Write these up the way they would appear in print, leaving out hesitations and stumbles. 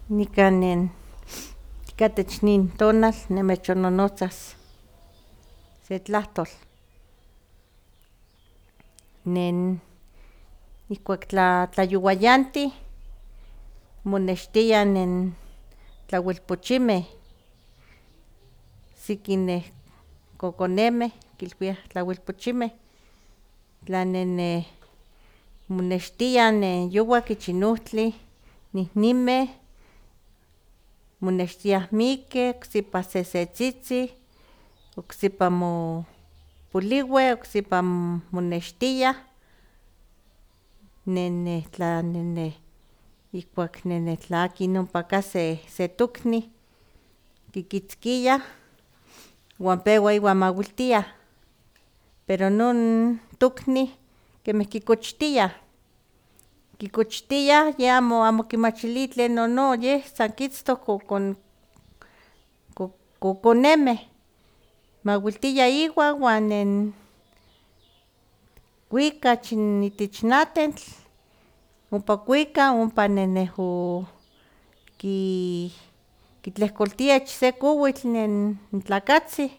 Nikan katech nin tonal nimechonnonotzas se tlahtol. Ihkuak tlayowayantih monextiah tlauilpochimeh, siki kokonemeh kilpiah tlauilpochimeh, tla monextiah yowak ich n ohtli nihnimeh, monextiah mikkeh, ocsipa sesetzitzin, ocsipa poliueh, ocsipa monextiah, ihkuak tla akin ompa kah se toknih kikitzkiah uan pewa iwan mawiltiah, pero non toknih kemih kikochtiah, yeh amo kimachili tlen nono, yeh san kitztok kokonemeh, mawiltia iwan uan kuika itech n atentl, ompa kuika ompa kitlehkoltia ich se kowitl n tlakatzin,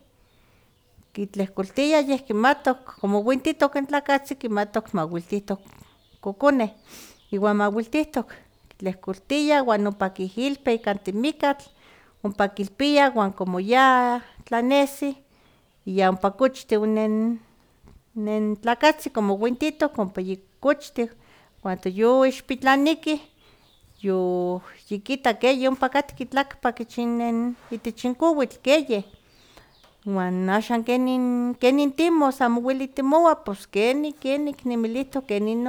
kitlehkoltia yeh kimatok como uintitok n tlakatzin kimatok mawiltihtok kokoneh, iwan mawiltihtok, kitlehkoltia uan ompa kihilpia ika timikatl, ompa kilpia uan como ya tlanesi ya ompa kochtih nen tlakatzin como uintitok ompa yikochtih, cuando yoixpitlanikih yikita keh yompa katka tlakpak itech n kowitl keyeh, uan axan kenin timos amo ueli timowa pos kenik nimilihtok kenin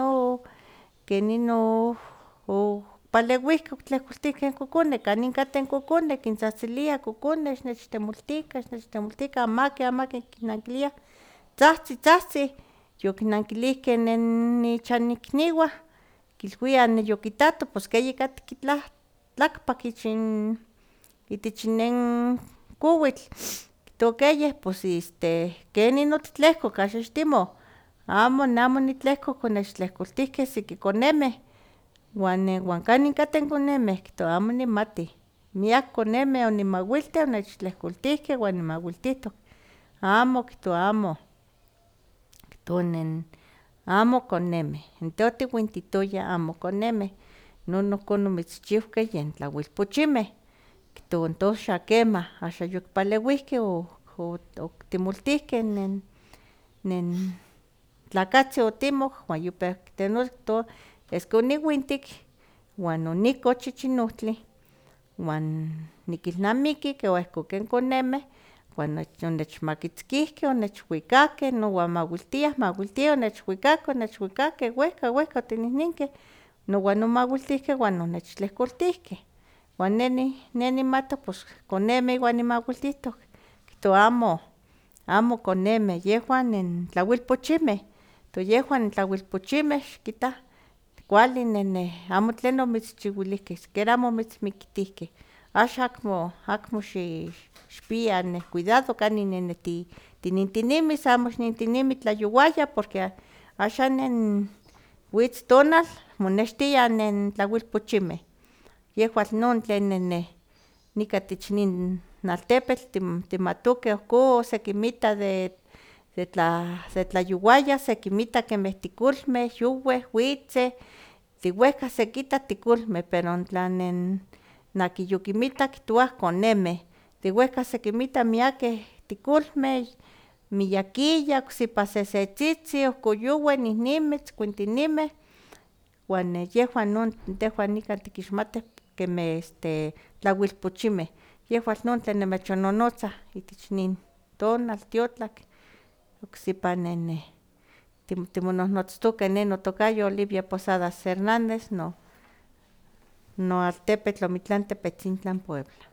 opaleuihkeh otlehkoltihkeh n kokoneh, kanin kateh n kokoneh kintzahtziliah kokoneh xnechtemoltikan, amaki kinnankiliah tzahtzi, tzahtzi, yokinnankilihkeh ichan ikniuah kilwiah yokitato pos ke yikatka tlakpak itech nen kowitl, kitokeyeh pos kenin otitlehkok axan xitimo, amo ne amo nitlehkok onechtlehkoltihkeh siki konemeh, uan kanin kateh n konemeh kihtowa amo nimatih, miak konemeh onimawiltih onechtlehkoltihkeh uan nimawiltihtok, amo kihtowa amo, kihtowa amo konemeh, n tehwan tiuintitoya amo konemeh, non ohkon omitzchiuhkeh yen tlauilpochimeh, kihtowa tos xa kemah, axan yokipaleuihkeh otimoltihkeh nen tlakatzin otimok uan yopeu kitenelos kihtowa esque oniuintik uan onikoch ich n ohtli uan nikilnamiki keh ihkon ken konemeh uan onechmakitzkihkeh, onechuikakeh nowan mawiltiah, onechwikakeh wehka, wehka otinihninkeh, nowan omawiltihkeh uan onechtlehkoltihkeh, uan ne nimatok pos konemeh iwan nimawiltihtok, kihtowa amo konemeh, yehwan tlauilpochimeh, tos yehwan tlauilpochimeh xikita kuali amo tlen omitzchiuilihkeh, sikiera amo omitzmiktihkeh, axan akmo xipia cuidado kanin tinintinimis, amo xintinimi tlayowaya porque axan witz tonal monextiah tlauilpochimeh, yehwan non tlen nika itech nin altepetl timatokeh ohkon sekinmita de tlayowaya, sekinmita kemeh tikolmeh yoweh witzeh, tiwehka sekita tikolmeh, pero tla akin yokinmita kihtowa konemeh, de wehka sekinmita miakeh tikolmeh, miyakiyah, ocsipa sesetzitzin, ohkon yoweh, nihnimeh, tzkuintinimeh, uan yehwan non tehwan nikan tikixmatih kemeh tlauilpochimeh, yehwan non tlen nimechonnonotzah itech nin tonal tiotlak, ocsipa timonohnotztokeh, ne notokayo Olivia Posadas Hernández, noaltepetl Omitlan Tepetzintlan, Puebla.